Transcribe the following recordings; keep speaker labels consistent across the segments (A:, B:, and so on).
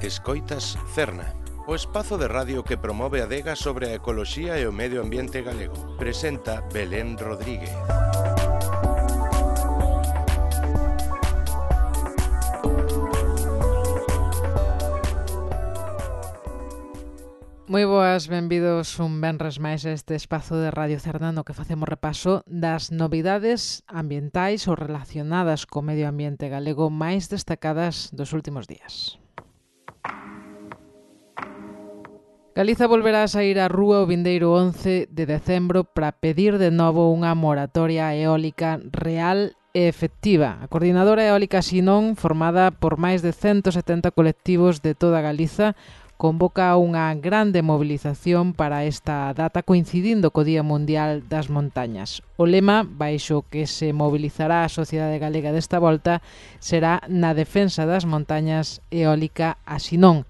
A: Escoitas Cerna, o espazo de radio que promove a adega sobre a ecoloxía e o medio ambiente galego. Presenta Belén Rodríguez.
B: Moi boas, benvidos un venres máis a este espazo de Radio Cerna no que facemos repaso das novidades ambientais ou relacionadas co medio ambiente galego máis destacadas dos últimos días. Galiza volverá a saír á rúa o vindeiro 11 de decembro para pedir de novo unha moratoria eólica real e efectiva. A Coordinadora Eólica Sinón, formada por máis de 170 colectivos de toda Galiza, convoca unha grande movilización para esta data coincidindo co Día Mundial das Montañas. O lema, baixo que se mobilizará a sociedade galega desta volta, será na defensa das montañas eólica a Sinón.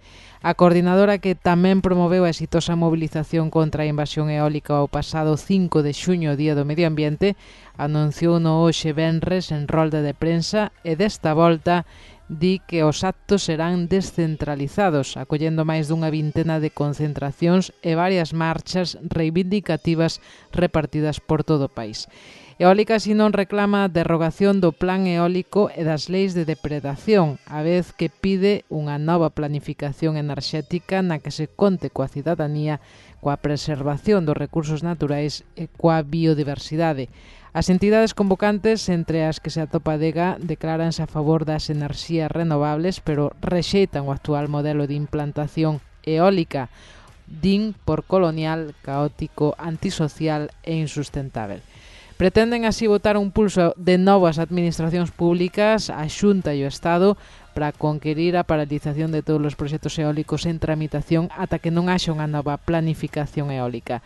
B: A coordinadora, que tamén promoveu a exitosa movilización contra a invasión eólica o pasado 5 de xuño, Día do Medio Ambiente, anunciou no hoxe venres en rolda de prensa e desta volta di que os actos serán descentralizados, acollendo máis dunha vintena de concentracións e varias marchas reivindicativas repartidas por todo o país. Eólica Sinón reclama a derrogación do plan eólico e das leis de depredación, a vez que pide unha nova planificación enerxética na que se conte coa cidadanía, coa preservación dos recursos naturais e coa biodiversidade. As entidades convocantes, entre as que se atopa a DEGA, decláranse a favor das enerxías renovables, pero rexeitan o actual modelo de implantación eólica, din por colonial, caótico, antisocial e insustentável. Pretenden así botar un pulso de novas administracións públicas, a Xunta e o Estado, para conquerir a paralización de todos os proxectos eólicos en tramitación ata que non haxa unha nova planificación eólica.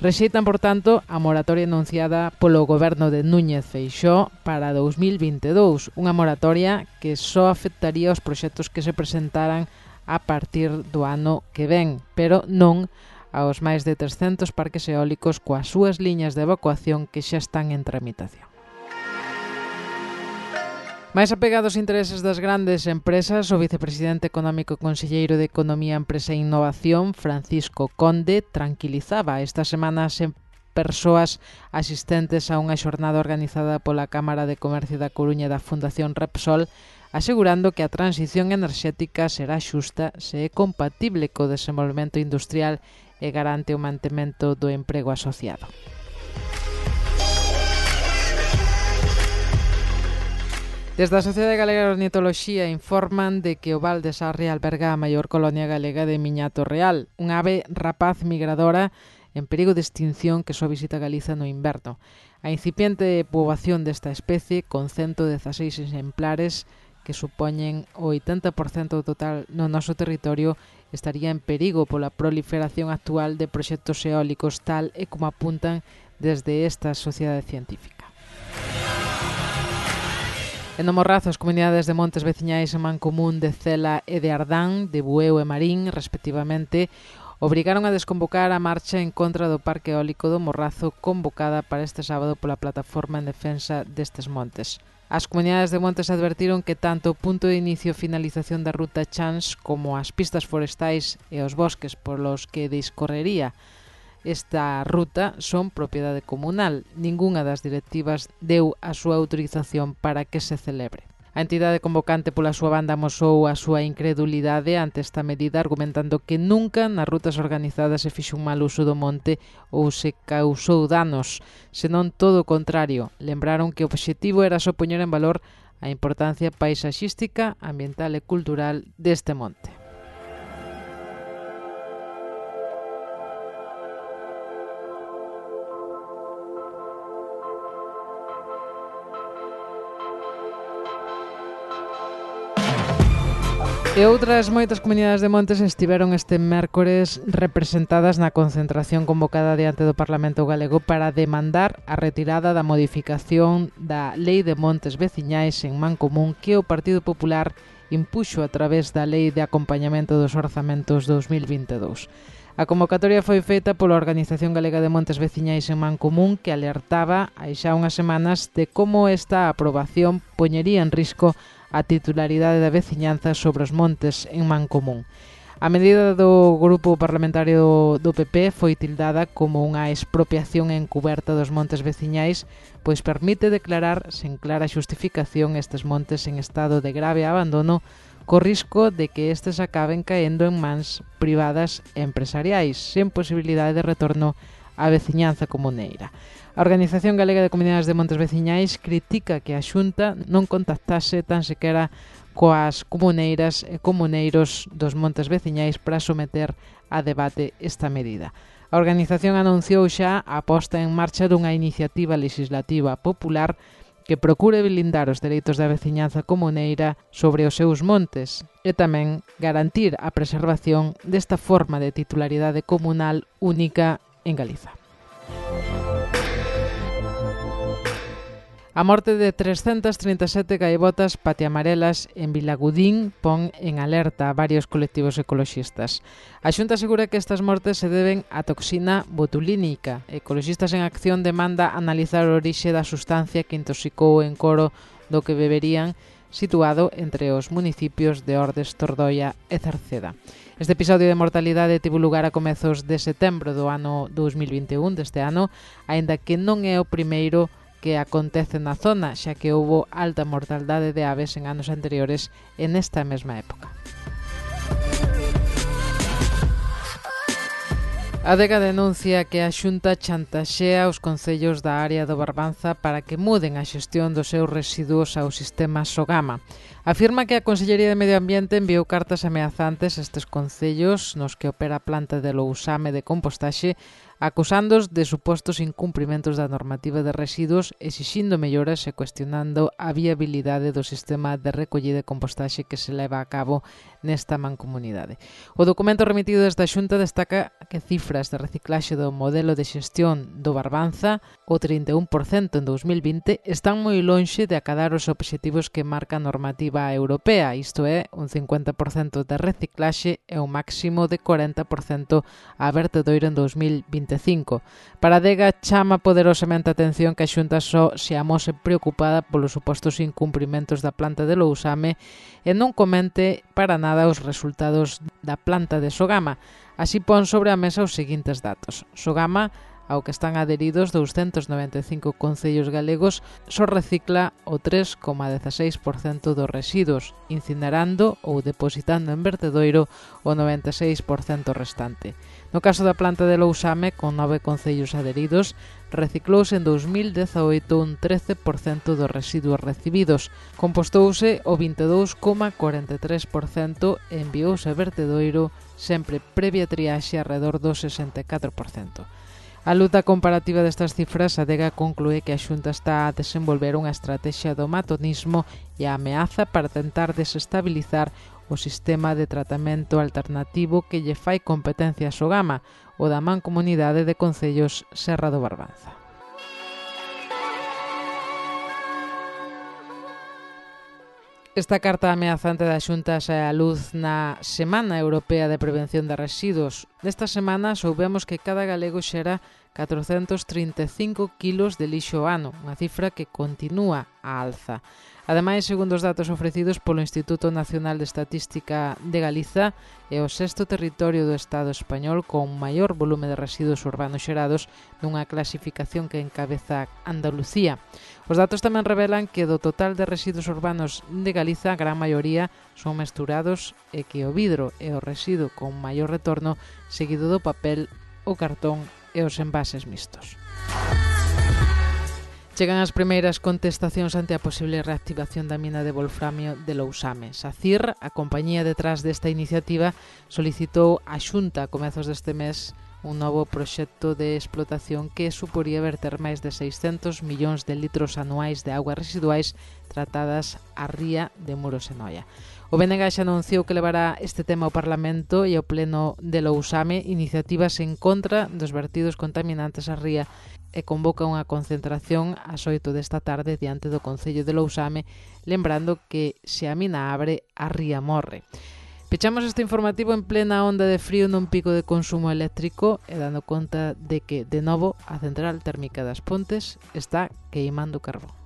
B: Rexeitan, por tanto, a moratoria anunciada polo goberno de Núñez Feixóo para 2022, unha moratoria que só afectaría os proxectos que se presentaran a partir do ano que ven, pero non aos máis de 300 parques eólicos coas súas liñas de evacuación que xa están en tramitación. Mais apegados aos intereses das grandes empresas, o vicepresidente económico e conselleiro de Economía, Empresa e Innovación, Francisco Conde, tranquilizaba estas semanas en persoas asistentes a unha xornada organizada pola Cámara de Comercio da Coruña e da Fundación Repsol, asegurando que a transición enerxética será xusta se é compatible co desenvolvemento industrial e garante o mantemento do emprego asociado. Desde a Sociedade Galega de Ornitoloxía informan de que o Val de Sarria alberga a maior colonia galega de miñato real, unha ave rapaz migradora en perigo de extinción que só visita Galiza no inverno. A incipiente poboación desta especie, con 116 exemplares, que supoñen o 80% total no noso territorio, estaría en perigo pola proliferación actual de proxectos eólicos, tal e como apuntan desde esta sociedade científica. En o Morrazo, as comunidades de montes veciñais en Mancomún de Cela e de Ardán, de Bueu e Marín, respectivamente, obrigaron a desconvocar a marcha en contra do Parque Eólico do Morrazo convocada para este sábado pola Plataforma en Defensa destes montes. As comunidades de montes advertiron que tanto o punto de inicio e finalización da ruta Chans como as pistas forestais e os bosques polos que discorrería esta ruta son propiedade comunal. Ningunha das directivas deu a súa autorización para que se celebre. A entidade convocante pola súa banda amosou a súa incredulidade ante esta medida, argumentando que nunca nas rutas organizadas se fixo un mal uso do monte ou se causou danos, senón todo o contrario. Lembraron que o obxectivo era só poñer en valor a importancia paisaxística, ambiental e cultural deste monte. E outras moitas comunidades de montes estiveron este mércores representadas na concentración convocada diante do Parlamento Galego para demandar a retirada da modificación da Lei de Montes Veciñais en Mancomún que o Partido Popular impuxo a través da Lei de Acompañamento dos Orzamentos 2022. A convocatoria foi feita pola Organización Galega de Montes Veciñais en Mancomún, que alertaba hai xa unhas semanas de como esta aprobación poñería en risco a titularidade da veciñanza sobre os montes en Mancomún. A medida do grupo parlamentario do PP foi tildada como unha expropiación encuberta dos montes veciñais, pois permite declarar sen clara xustificación estes montes en estado de grave abandono, co risco de que estes acaben caendo en mans privadas e empresariais, sen posibilidade de retorno á veciñanza comuneira. A Organización Galega de Comunidades de Montes Veciñais critica que a Xunta non contactase tan sequera coas comuneiras e comuneiros dos montes veciñais para someter a debate esta medida. A organización anunciou xa a posta en marcha dunha iniciativa legislativa popular que procure blindar os dereitos da veciñanza comuneira sobre os seus montes e tamén garantir a preservación desta forma de titularidade comunal única en Galiza. A morte de 337 gaivotas patiamarelas en Vilagudín pon en alerta a varios colectivos ecoloxistas. A Xunta asegura que estas mortes se deben á toxina botulínica. Ecoloxistas en Acción demanda analizar a orixe da sustancia que intoxicou o encoro do que beberían, situado entre os municipios de Ordes, Tordoia e Cerceda. Este episodio de mortalidade tivo lugar a comezos de setembro do ano 2021 deste ano, aínda que non é o primeiro que acontece na zona, xa que houbo alta mortaldade de aves en anos anteriores en esta mesma época. A Adega denuncia que a Xunta chantaxea os concellos da área do Barbanza para que muden a xestión dos seus residuos ao sistema Sogama. Afirma que a Consellería de Medio Ambiente enviou cartas ameazantes a estes concellos nos que opera a planta de Lousame de compostaxe, acusándoos de supostos incumprimentos da normativa de residuos, exixindo melloras e cuestionando a viabilidade do sistema de recollida e compostaxe que se leva a cabo nesta mancomunidade. O documento remitido desta Xunta destaca que cifras de reciclaxe do modelo de xestión do Barbanza, o 31% en 2020, están moi lonxe de acadar os obxectivos que marca a normativa europea, isto é, un 50% de reciclaxe e un máximo de 40% a vertedoiro en 2025. Para a Adega chama poderosamente a atención que a Xunta só se amose preocupada polos supostos incumprimentos da planta de Lousame e non comente para nada os resultados da planta de Sogama. Así pon sobre a mesa os seguintes datos. Sogama, ao que están adheridos 295 concellos galegos, só recicla o 3,16% dos residuos, incinerando ou depositando en vertedoiro o 96% restante. No caso da planta de Lousame, con 9 concellos adheridos, reciclouse en 2018 un 13% dos residuos recibidos, compostouse o 22,43% e enviouse a vertedoiro sempre previa triaxe arredor do 64%. A luta comparativa destas cifras, a Adega conclúe que a Xunta está a desenvolver unha estrategia do matonismo e a ameaza para tentar desestabilizar o sistema de tratamento alternativo que lle fai competencia a Sogama, o da Mancomunidade de Concellos Serra do Barbanza. Esta carta ameazante da Xunta sae á luz na Semana Europea de Prevención de Residuos. Nesta semana soubemos que cada galego xera 435 kilos de lixo ao ano, unha cifra que continúa á alza. Ademais, segundo os datos ofrecidos polo Instituto Nacional de Estatística de Galiza, é o sexto territorio do Estado español con maior volume de residuos urbanos xerados nunha clasificación que encabeza Andalucía. Os datos tamén revelan que do total de residuos urbanos de Galiza, a gran maioría son mesturados e que o vidro é o residuo con maior retorno, seguido do papel, o cartón e os envases mixtos. Chegan as primeiras contestacións ante a posible reactivación da mina de wolframio de Lousame. SACIR, a compañía detrás desta iniciativa, solicitou á Xunta a comezos deste mes un novo proxecto de explotación que suporía verter máis de 600 millóns de litros anuais de augas residuais tratadas á ría de Muros e Noia. O BNG xa anunciou que levará este tema ao Parlamento e ao Pleno de Lousame iniciativas en contra dos vertidos contaminantes á ría e convoca unha concentración ás 8 desta tarde diante do Concello de Lousame, lembrando que se a mina abre, a ría morre. Pechamos este informativo en plena onda de frío nun pico de consumo eléctrico e dando conta de que, de novo, a central térmica das Pontes está queimando carbón.